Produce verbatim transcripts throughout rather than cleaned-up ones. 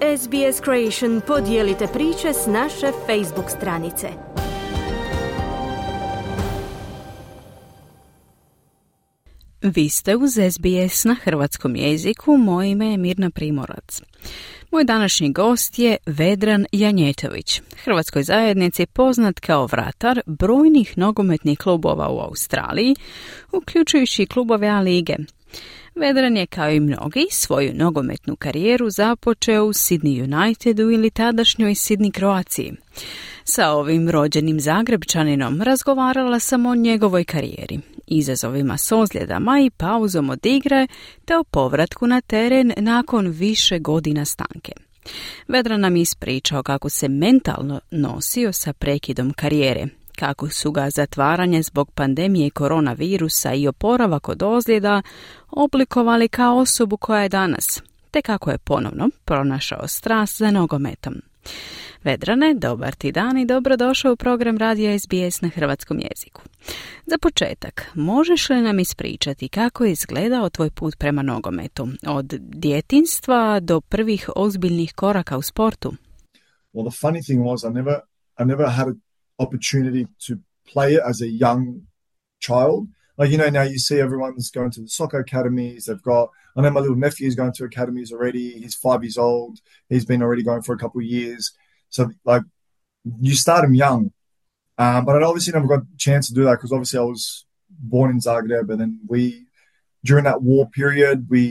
S B S Creation podijelite priče s naše Facebook stranice. Vi ste uz S B S na hrvatskom jeziku, moje ime je Mirna Primorac. Moj današnji gost je Vedran Janjetović, hrvatskoj zajednici poznat kao vratar brojnih nogometnih klubova u Australiji, uključujući klubove A lige. Vedran je, kao i mnogi, svoju nogometnu karijeru započeo u Sydney Unitedu ili tadašnjoj Sydney Croaciji. Sa ovim rođenim Zagrebčaninom razgovarala sam o njegovoj karijeri, izazovima s ozljedama i pauzom od igre, te o povratku na teren nakon više godina stanke. Vedran nam ispričao kako se mentalno nosio sa prekidom karijere, kako su ga zatvaranje zbog pandemije koronavirusa i oporavak od ozljeda oblikovali kao osobu koja je danas, te kako je ponovno pronašao strast za nogometom. Vedrane, dobar ti dan i dobrodošao u program radija S B S na hrvatskom jeziku. Za početak, možeš li nam ispričati kako je izgledao tvoj put prema nogometu, od djetinjstva do prvih ozbiljnih koraka u sportu? Well, the funny thing was I never, I never had an opportunity to play it as a young child. Like, you know, now you see everyone's going to the soccer academies. They've got, I know my little nephew's going to academies already. He's five years old. He's been already going for a couple of years. So, like, you start him young. Um, but I obviously never got a chance to do that because obviously I was born in Zagreb. And then we, during that war period, we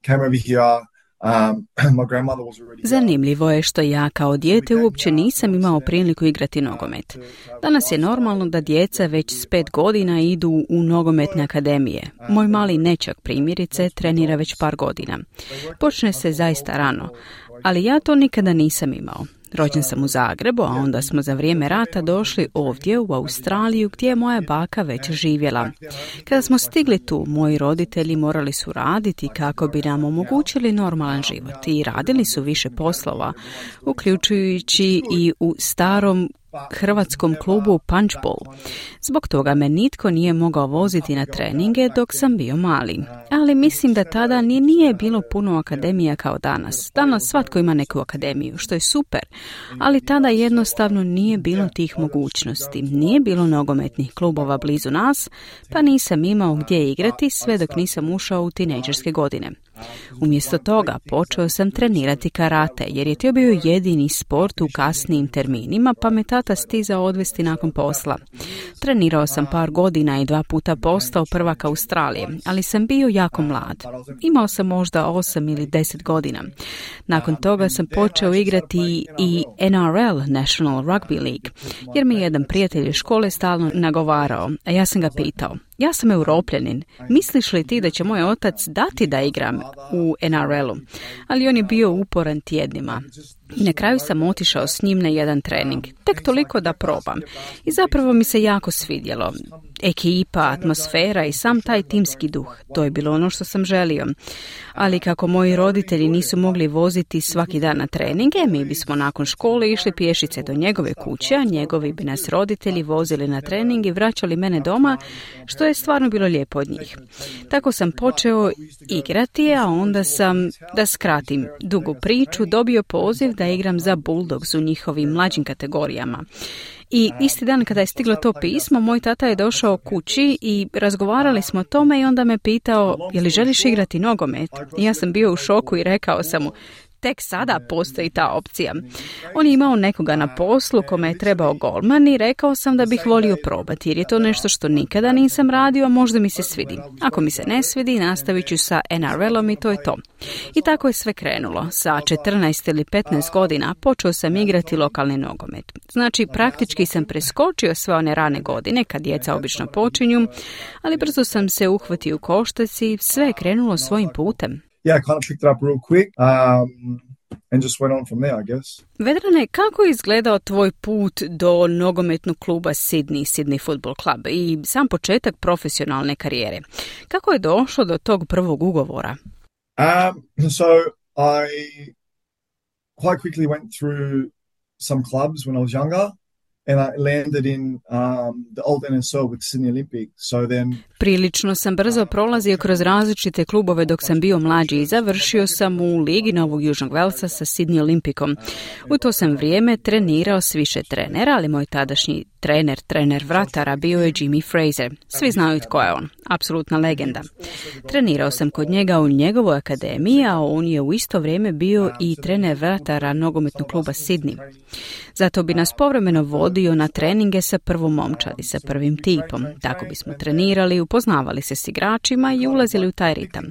came over here. Um, my grandmother was already... Zanimljivo je što ja kao dijete uopće nisam imao priliku igrati nogomet. Danas je normalno da djeca već s pet godina idu u nogometne akademije. Moj mali nečak primjerice trenira već par godina. Počne se zaista rano, ali ja to nikada nisam imao. Rođen sam u Zagrebu, a onda smo za vrijeme rata došli ovdje u Australiju gdje je moja baka već živjela. Kada smo stigli tu, moji roditelji morali su raditi kako bi nam omogućili normalan život i radili su više poslova, uključujući i u starom hrvatskom klubu Punchbowl. Zbog toga me nitko nije mogao voziti na treninge dok sam bio mali. Ali mislim da tada ni nije bilo puno akademija kao danas. Danas svatko ima neku akademiju, što je super, ali tada jednostavno nije bilo tih mogućnosti. Nije bilo nogometnih klubova blizu nas, pa nisam imao gdje igrati sve dok nisam ušao u tinejdžerske godine. Umjesto toga počeo sam trenirati karate, jer je to bio jedini sport u kasnijim terminima, pa me tata stizao odvesti nakon posla. Trenirao sam par godina i dva puta postao prvak Australije, ali sam bio jako mlad. Imao sam možda osam ili deset godina. Nakon toga sam počeo igrati i N R L, National Rugby League, jer mi jedan prijatelj iz škole stalno nagovarao, a ja sam ga pitao: ja sam Europljanin, misliš li ti da će moj otac dati da igram u N R L-u? Ali on je bio uporan tjednima. I na kraju sam otišao s njim na jedan trening, tek toliko da probam. I zapravo mi se jako svidjelo. Ekipa, atmosfera i sam taj timski duh, to je bilo ono što sam želio. Ali kako moji roditelji nisu mogli voziti svaki dan na treninge, mi bismo nakon škole išli pješice do njegove kuće, a njegovi bi nas roditelji vozili na trening i vraćali mene doma, što je stvarno bilo lijepo od njih. Tako sam počeo igrati, a onda sam, da skratim dugu priču, dobio poziv da igram za Bulldogs u njihovim mlađim kategorijama. I isti dan kada je stiglo to pismo, moj tata je došao kući i razgovarali smo o tome i onda me pitao: je li želiš igrati nogomet? I ja sam bio u šoku i rekao sam mu: tek sada postoji ta opcija. On je imao nekoga na poslu kome je trebao golman i rekao sam da bih volio probati, jer je to nešto što nikada nisam radio, a možda mi se svidi. Ako mi se ne svidi, nastavit ću sa N R L-om i to je to. I tako je sve krenulo. Sa četrnaest ili petnaest godina počeo sam igrati lokalni nogomet. Znači, praktički sam preskočio sve one rane godine, kad djeca obično počinju, ali brzo sam se uhvatio u koštac i sve je krenulo svojim putem. Yeah, I kind of picked it up real quick um, and just went on from there, I guess. Vedrane, kako je izgledao tvoj put do nogometnog kluba Sydney, Sydney Football Club i sam početak profesionalne karijere? Kako je došlo do tog prvog ugovora? Um, so I quite quickly went through some clubs when I was younger. and I landed in um, the old N S L with Sydney Olympic. So then Prilično sam brzo prolazio kroz različite klubove dok sam bio mlađi i završio sam u Ligi Novog Južnog Velsa sa Sydney Olympicom. U to sam vrijeme trenirao s više trenera, ali moj tadašnji trener, trener vratara bio je Jimmy Fraser. Svi znaju tko je on, apsolutna legenda. Trenirao sam kod njega u njegovoj akademiji, a on je u isto vrijeme bio i trener vratara nogometnog kluba Sydney. Zato bi nas povremeno vodio na treninge sa prvom momčadi, sa prvim tipom. Tako bismo trenirali, upoznavali se s igračima i ulazili u taj ritam.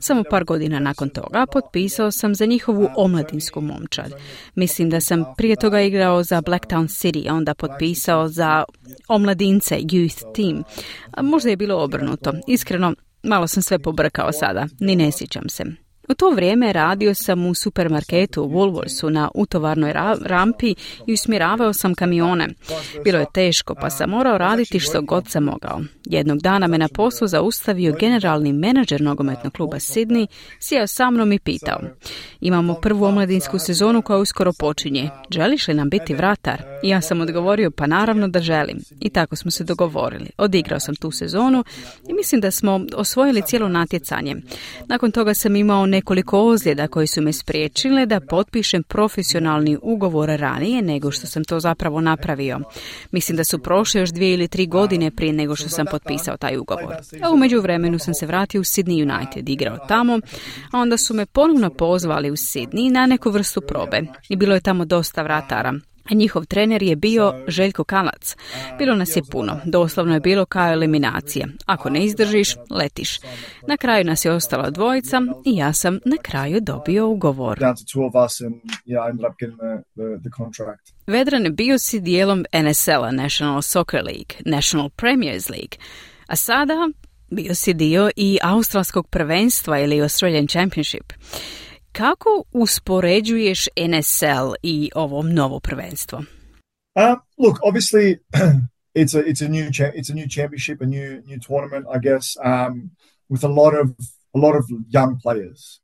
Samo par godina nakon toga potpisao sam za njihovu omladinsku momčad. Mislim da sam prije toga igrao za Blacktown City, a onda potpisao za omladince, youth team. A možda je bilo obrnuto. Iskreno, malo sam sve pobrkao sada, ni ne sjećam se. U to vrijeme radio sam u supermarketu u Woolworthsu na utovarnoj ra- rampi i usmjeravao sam kamione. Bilo je teško pa sam morao raditi što god sam mogao. Jednog dana me na poslu zaustavio generalni menadžer nogometnog kluba Sydney, sjeo sa mnom i pitao: imamo prvu omladinsku sezonu koja uskoro počinje. Želiš li nam biti vratar? I ja sam odgovorio pa naravno da želim. I tako smo se dogovorili. Odigrao sam tu sezonu i mislim da smo osvojili cijelo natjecanje. Nakon toga sam imao nekoliko ozljeda koji su me spriječile da potpišem profesionalni ugovor ranije nego što sam to zapravo napravio. Mislim da su prošle još dvije ili tri godine prije nego što sam potpisao taj ugovor. A u međuvremenu sam se vratio u Sydney United, igrao tamo, a onda su me ponovno pozvali u Sydney na neku vrstu probe. I bilo je tamo dosta vratara. A njihov trener je bio Željko Kalac. Bilo nas je puno, doslovno je bilo kao eliminacija. Ako ne izdržiš, letiš. Na kraju nas je ostala dvojica i ja sam na kraju dobio ugovor. Vedran, bio si dijelom N S L-a, National Soccer League, National Premiers League, a sada bio si dio i australskog prvenstva ili Australian Championship. Kako uspoređuješ N S L i ovo novo prvenstvo? Uh, look, obviously, it's a it's a new cha- it's a new championship, a new new tournament, I guess, um, with a lot of a lot of young players.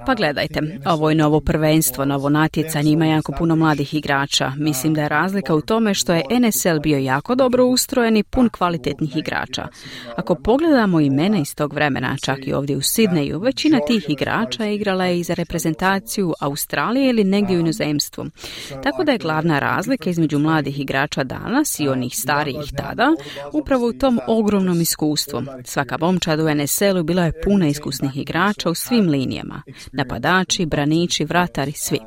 Pa gledajte, ovo je novo prvenstvo, novo natjecanje, ima jako puno mladih igrača. Mislim da je razlika u tome što je N S L bio jako dobro ustrojen i pun kvalitetnih igrača. Ako pogledamo imena iz tog vremena, čak i ovdje u Sidneju, većina tih igrača igrala je i za reprezentaciju Australije ili negdje u inozemstvu. Tako da je glavna razlika između mladih igrača danas i onih starijih tada upravo u tom ogromnom iskustvu. Svaka momčad u N S L-u bila je puna iskusnih igrača u svim linijama. Napadači, braniči, vratari, svi.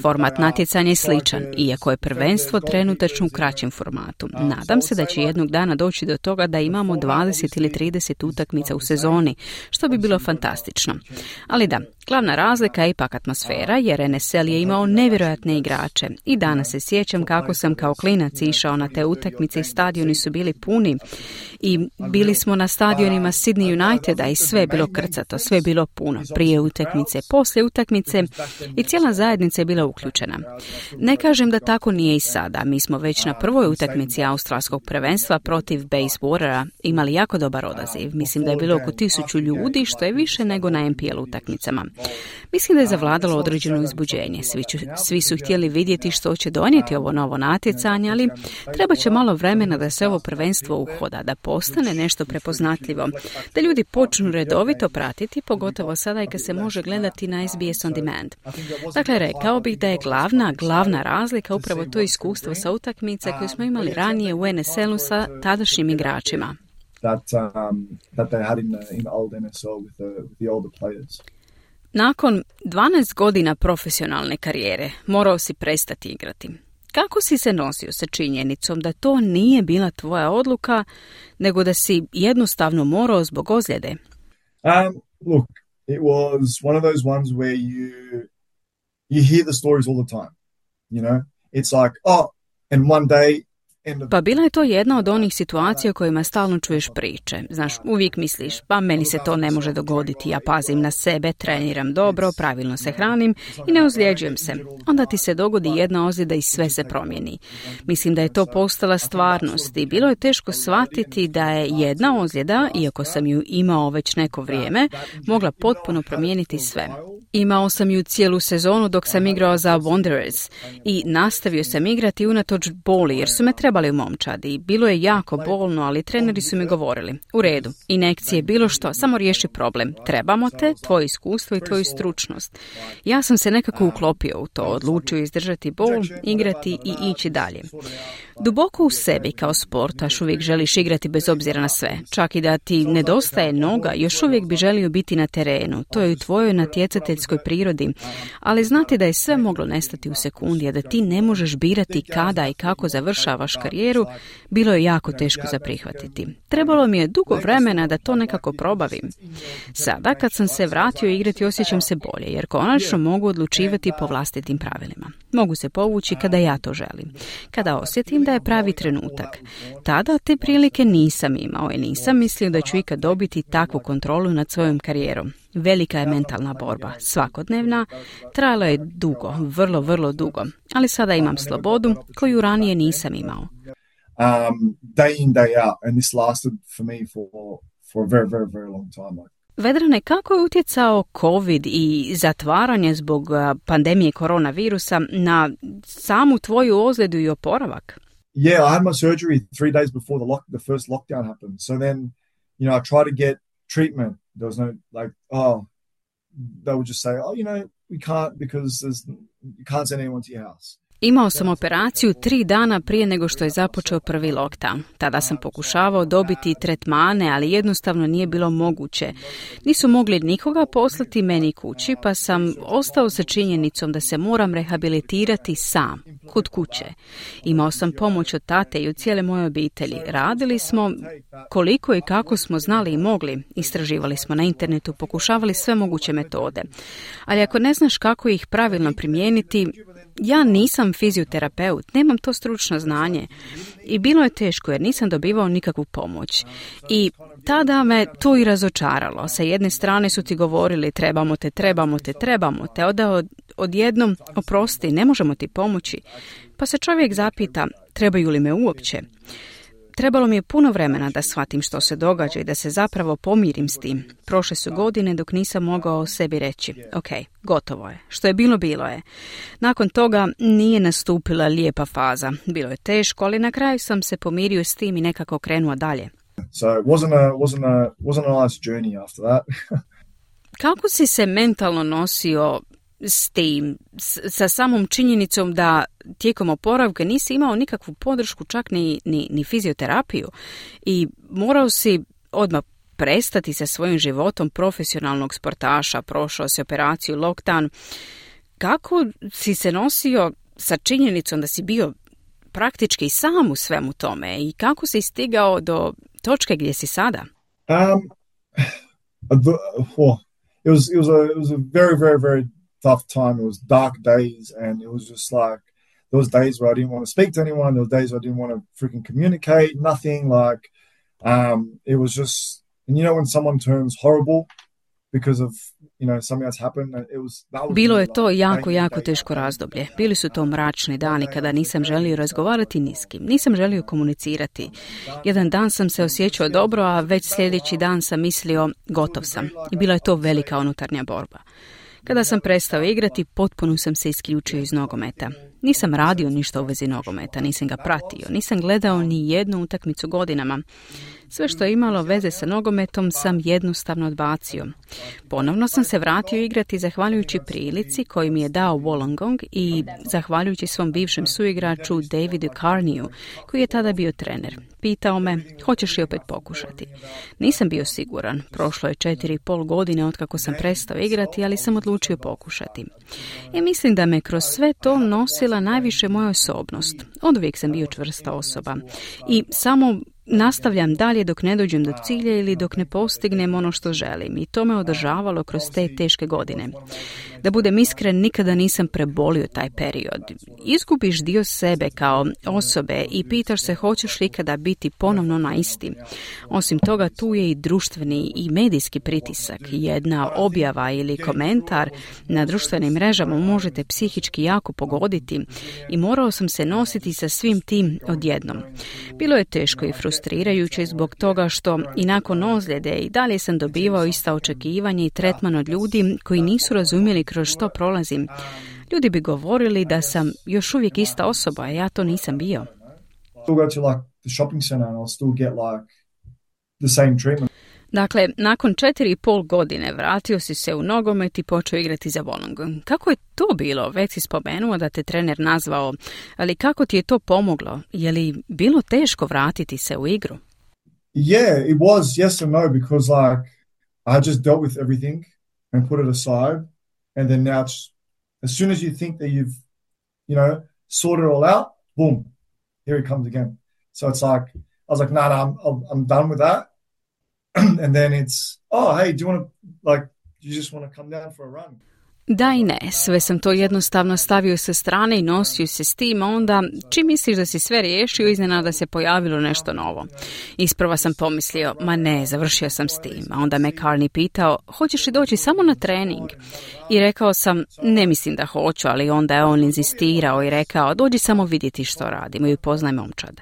Format natjecanja je sličan, iako je prvenstvo trenutačno u kraćem formatu. Nadam se da će jednog dana doći do toga da imamo dvadeset ili trideset utakmica u sezoni, što bi bilo fantastično. Ali da, glavna razlika je ipak atmosfera, jer N S L je imao nevjerojatne igrače. I danas se sjećam kako sam kao klinac išao na te utakmice i stadioni su bili puni. I bili smo na stadionima Sydney Uniteda i sve je bilo krcato, sve je bilo puno. Prije utakmice, poslije utakmice i cijela zajednica je bila uključena. Ne kažem da tako nije i sada. Mi smo već na prvoj utakmici australskog prvenstva protiv Bayswatera imali jako dobar odaziv. Mislim da je bilo oko tisuću ljudi, što je više nego na N P L utakmicama. Mislim da je zavladalo određeno uzbuđenje. Svi, ću, svi su htjeli vidjeti što će donijeti ovo novo natjecanje, ali treba će malo vremena da se ovo prvenstvo uhoda, da postane nešto prepoznatljivo, da ljudi počnu redovito pratiti, pogotovo sada i kad se može gledati na S B S On Demand. Dakle, rekao bih da je glavna, glavna razlika upravo to iskustvo sa utakmice koje smo imali ranije u N S L-u sa tadašnjim igračima. That, um, that they had in the, in the old N S L with the, with the older players. Nakon dvanaest godina profesionalne karijere morao si prestati igrati. Kako si se nosio sa činjenicom da to nije bila tvoja odluka, nego da si jednostavno morao zbog ozljede? Um, look, it was one of those ones where you you hear the stories all the time. You know, it's like, oh, and one day Pa bila je to jedna od onih situacija u kojima stalno čuješ priče. Znaš, uvijek misliš, pa meni se to ne može dogoditi, ja pazim na sebe, treniram dobro, pravilno se hranim i ne ozljeđujem se. Onda ti se dogodi jedna ozljeda i sve se promijeni. Mislim da je to postala stvarnost i bilo je teško shvatiti da je jedna ozljeda, iako sam ju imao već neko vrijeme, mogla potpuno promijeniti sve. Imao sam ju cijelu sezonu dok sam igrao za Wanderers i nastavio sam igrati unatoč boli jer su me trebali u momčadi. Bilo je jako bolno, ali treneri su mi govorili, u redu, injekcije, bilo što, samo riješi problem. Trebamo te, tvoje iskustvo i tvoju stručnost. Ja sam se nekako uklopio u to, odlučio izdržati bol, igrati i ići dalje. Duboko u sebi kao sportaš uvijek želiš igrati bez obzira na sve. Čak i da ti nedostaje noga, još uvijek bi želio biti na terenu. To je u tvojoj natjecateljskoj prirodi. Ali znati da je sve moglo nestati u sekundi, a da ti ne možeš birati kada i kako završavaš karijeru, bilo je jako teško za prihvatiti. Trebalo mi je dugo vremena da to nekako probavim. Sada, kad sam se vratio igrati, osjećam se bolje, jer konačno mogu odlučivati po vlastitim pravilima. Mogu se povući kada ja to želim. Kada osjetim da je pravi trenutak. Tada te prilike nisam imao i nisam mislio da ću ikad dobiti takvu kontrolu nad svojom karijerom. Velika je mentalna borba, svakodnevna, trajalo je dugo, vrlo, vrlo dugo, ali sada imam slobodu koju ranije nisam imao. Um, day in, day out, and this lasted for me for, for a very, very, very long time. Vedrane, kako je utjecao COVID i zatvaranje zbog pandemije koronavirusa na samu tvoju ozljedu i oporavak? Yeah, I had my surgery three days before the lock, the first lockdown happened. So then, you know, I tried to get treatment. There was no, like, oh, they would just say, oh, you know, we can't because there's, you can't send anyone to your house. Imao sam operaciju tri dana prije nego što je započeo prvi lockdown. Tada sam pokušavao dobiti tretmane, ali jednostavno nije bilo moguće. Nisu mogli nikoga poslati meni kući, pa sam ostao sa činjenicom da se moram rehabilitirati sam, kod kuće. Imao sam pomoć od tate i od cijele moje obitelji. Radili smo koliko i kako smo znali i mogli. Istraživali smo na internetu, pokušavali sve moguće metode. Ali ako ne znaš kako ih pravilno primijeniti, ja nisam fizioterapeut, nemam to stručno znanje i bilo je teško jer nisam dobivao nikakvu pomoć. I tada me to i razočaralo. Sa jedne strane su ti govorili trebamo te, trebamo te, trebamo te, onda od, odjednom oprosti, ne možemo ti pomoći. Pa se čovjek zapita trebaju li me uopće. Trebalo mi je puno vremena da shvatim što se događa i da se zapravo pomirim s tim. Prošle su godine dok nisam mogao sebi reći, ok, gotovo je. Što je bilo, bilo je. Nakon toga nije nastupila lijepa faza. Bilo je teško, ali na kraju sam se pomirio s tim i nekako krenuo dalje. So it wasn't a, wasn't a, wasn't a nice journey after that. Kako si se mentalno nosio s tim, s, sa samom činjenicom da tijekom oporavka nisi imao nikakvu podršku, čak ni, ni, ni fizioterapiju i morao si odmah prestati sa svojim životom profesionalnog sportaša, prošao si operaciju, lockdown. Kako si se nosio sa činjenicom da si bio praktički sam u svemu tome i kako si stigao do točke gdje si sada? Um, it was, it was a, it was a very, very, very tough time. It was dark days and it was just like, there was days where I didn't want to speak to anyone. There was days where I didn't want to freaking communicate, nothing. Like, um, it was just, and you know when someone turns horrible because of, you know, something that's happened, it was, that was Bilo je to jako, jako teško razdoblje. Bili su to mračni dani kada nisam želio razgovarati ni s kim. Nisam želio komunicirati. Jedan dan sam se osjećao dobro, a već sljedeći dan sam mislio gotov sam. I bila je to velika unutarnja borba. Kada sam prestao igrati, potpuno sam se isključio iz nogometa. Nisam radio ništa u vezi nogometa, nisam ga pratio, nisam gledao ni jednu utakmicu godinama. Sve što je imalo veze sa nogometom sam jednostavno odbacio. Ponovno sam se vratio igrati zahvaljujući prilici koju mi je dao Wollongong i zahvaljujući svom bivšem suigraču Davidu Carneyu, koji je tada bio trener. Pitao me, hoćeš li opet pokušati? Nisam bio siguran. Prošlo je četiri i pol godine otkako sam prestao igrati, ali sam odlučio pokušati. I mislim da me kroz sve to nosila najviše moja osobnost. Oduvijek sam bio čvrsta osoba. I samo nastavljam dalje dok ne dođem do cilja ili dok ne postignem ono što želim i to me održavalo kroz te teške godine. Da budem iskren, nikada nisam prebolio taj period. Izgubiš dio sebe kao osobe i pitaš se hoćeš li ikada biti ponovno na isti. Osim toga, tu je i društveni i medijski pritisak. Jedna objava ili komentar na društvenim mrežama možete psihički jako pogoditi i morao sam se nositi sa svim tim odjednom. Bilo je teško i frustrirajuće zbog toga što i nakon ozljede i dalje sam dobivao ista očekivanja i tretman od ljudi koji nisu razumjeli kroz što prolazim. Ljudi bi govorili da sam još uvijek ista osoba, a ja to nisam bio. Dakle, nakon četiri i pol godine vratio si se u nogomet i počeo igrati za Wollongong. Kako je to bilo? Već si spomenuo da te trener nazvao, ali kako ti je to pomoglo? Je li bilo teško vratiti se u igru? Yeah, it was yes and no, because like I just dealt with everything and put it aside, and then now it's, as soon as you think that you've, you know, sorted it all out, boom, here it comes again. So it's like I was like, nah, nah, I'm I'm done with that. And then it's, oh, hey, do you want to, like, do you just want to come down for a run? Da i ne, sve sam to jednostavno stavio sa strane i nosio se s tim, onda čim misliš da si sve riješio, iznenada se pojavilo nešto novo. Isprva sam pomislio, ma ne, završio sam s tim, a onda me Carney pitao, hoćeš li doći samo na trening? I rekao sam, ne mislim da hoću, ali onda je on inzistirao i rekao, dođi samo vidjeti što radimo i upoznaj momčad.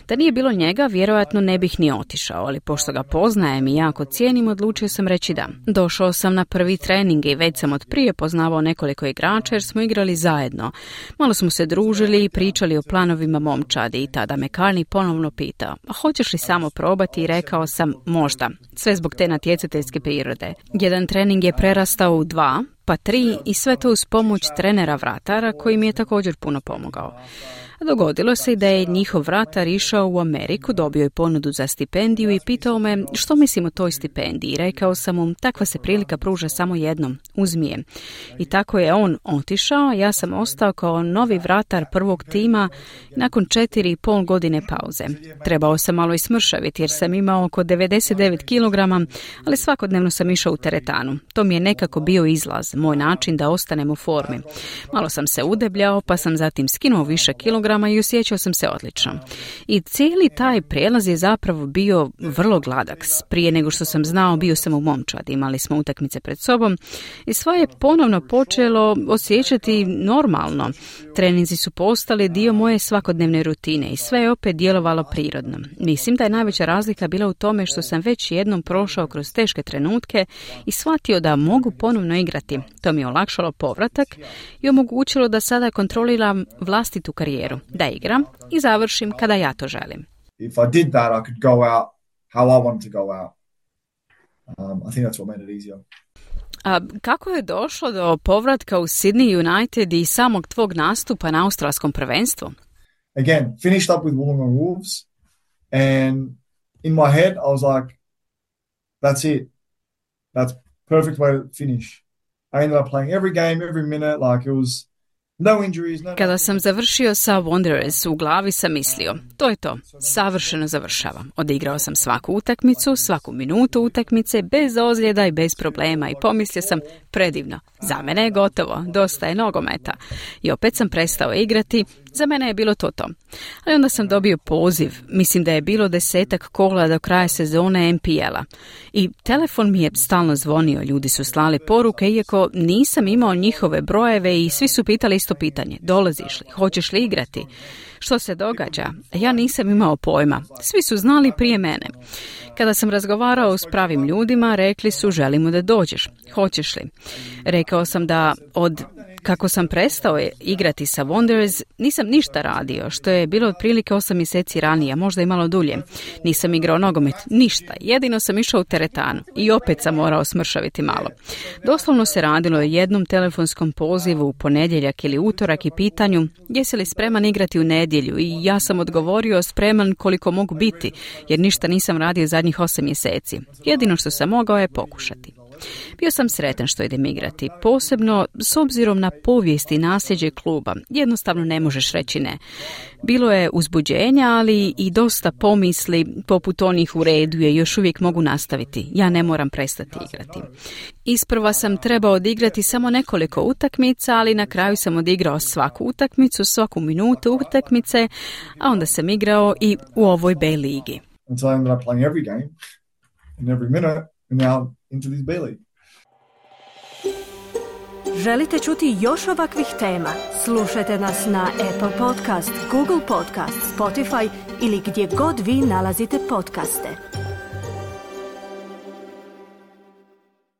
Da nije bilo njega, vjerojatno ne bih ni otišao, ali pošto ga poznajem i jako cijenim, odlučio sam reći da. Došao sam na prvi trening i već sam od prije poznavao nekoliko igrača jer smo igrali zajedno. Malo smo se družili i pričali o planovima momčadi i tada me Carney ponovno pitao, a hoćeš li samo probati? I rekao sam, možda, sve zbog te natjecateljske prirode. Jedan trening je prerastao u dva, pa tri i sve to uz pomoć trenera vratara koji mi je također puno pomogao. Dogodilo se i da je njihov vratar išao u Ameriku, dobio je ponudu za stipendiju i pitao me što mislim o toj stipendiji. Rekao sam mu, takva se prilika pruža samo jednom, uzmi je. I tako je on otišao, ja sam ostao kao novi vratar prvog tima nakon četiri i pol godine pauze. Trebao sam malo ismršaviti jer sam imao oko devedeset devet kilograma, ali svakodnevno sam išao u teretanu. To mi je nekako bio izlaz, moj način da ostanem u formi. Malo sam se udebljao, pa sam zatim skinuo više kilograma i osjećao sam se odlično. I cijeli taj prijelaz je zapravo bio vrlo gladak. Prije nego što sam znao, bio sam u momčadi, imali smo utakmice pred sobom i sve je ponovno počelo osjećati normalno. Treninzi su postali dio moje svakodnevne rutine i sve je opet djelovalo prirodno. Mislim da je najveća razlika bila u tome što sam već jednom prošao kroz teške trenutke i shvatio da mogu ponovno igrati. To mi je olakšalo povratak i omogućilo da sada kontroliram vlastitu karijeru, da igram i završim kada ja to želim. If I did that, I could go out how I wanted to go out. Um, I think that's what made it easier. A kako je došlo do povratka u Sydney United i samog tvog nastupa na australskom prvenstvu? Again, finished up with Wollongong Wolves, and in my head I was like, that's it. That's perfect way to finish. I ended up playing every game, every minute, like it was no injuries, no... Kada sam završio sa Wanderers, u glavi sam mislio, to je to, savršeno završavam. Odigrao sam svaku utakmicu, svaku minutu utakmice, bez ozljeda i bez problema i pomislio sam, predivno, za mene je gotovo, dosta je nogometa. I opet sam prestao igrati, za mene je bilo to to. Ali onda sam dobio poziv, mislim da je bilo desetak kola do kraja sezone N P L-a. I telefon mi je stalno zvonio, ljudi su slali poruke, iako nisam imao njihove brojeve i svi su pitali isto pitanje, dolaziš li, hoćeš li igrati? Što se događa? Ja nisam imao pojma. Svi su znali prije mene. Kada sam razgovarao s pravim ljudima, rekli su želimo da dođeš. Hoćeš li? Rekao sam da od kako sam prestao igrati sa Wanderers, nisam ništa radio, što je bilo otprilike osam mjeseci ranije, možda i malo dulje. Nisam igrao nogomet, ništa. Jedino sam išao u teretanu i opet sam morao smršaviti malo. Doslovno se radilo o jednom telefonskom pozivu u ponedjeljak ili utorak i pitanju jesi li spreman igrati u nedjelju i ja sam odgovorio spreman koliko mogu biti, jer ništa nisam radio zadnjih osam mjeseci. Jedino što sam mogao je pokušati. Bio sam sretan što idem igrati, posebno s obzirom na povijest i nasljeđe kluba. Jednostavno ne možeš reći ne. Bilo je uzbuđenja, ali i dosta pomisli, poput onih u redu je, još uvijek mogu nastaviti. Ja ne moram prestati igrati. Isprva sam trebao odigrati samo nekoliko utakmica, ali na kraju sam odigrao svaku utakmicu, svaku minutu utakmice, a onda sam igrao i u ovoj B ligi. And so I ended up playing every game and every minute and now into this B league. Želite čuti još ovakvih tema? Slušajte nas na Apple Podcast, Google Podcast, Spotify ili gdje god vi nalazite podcaste.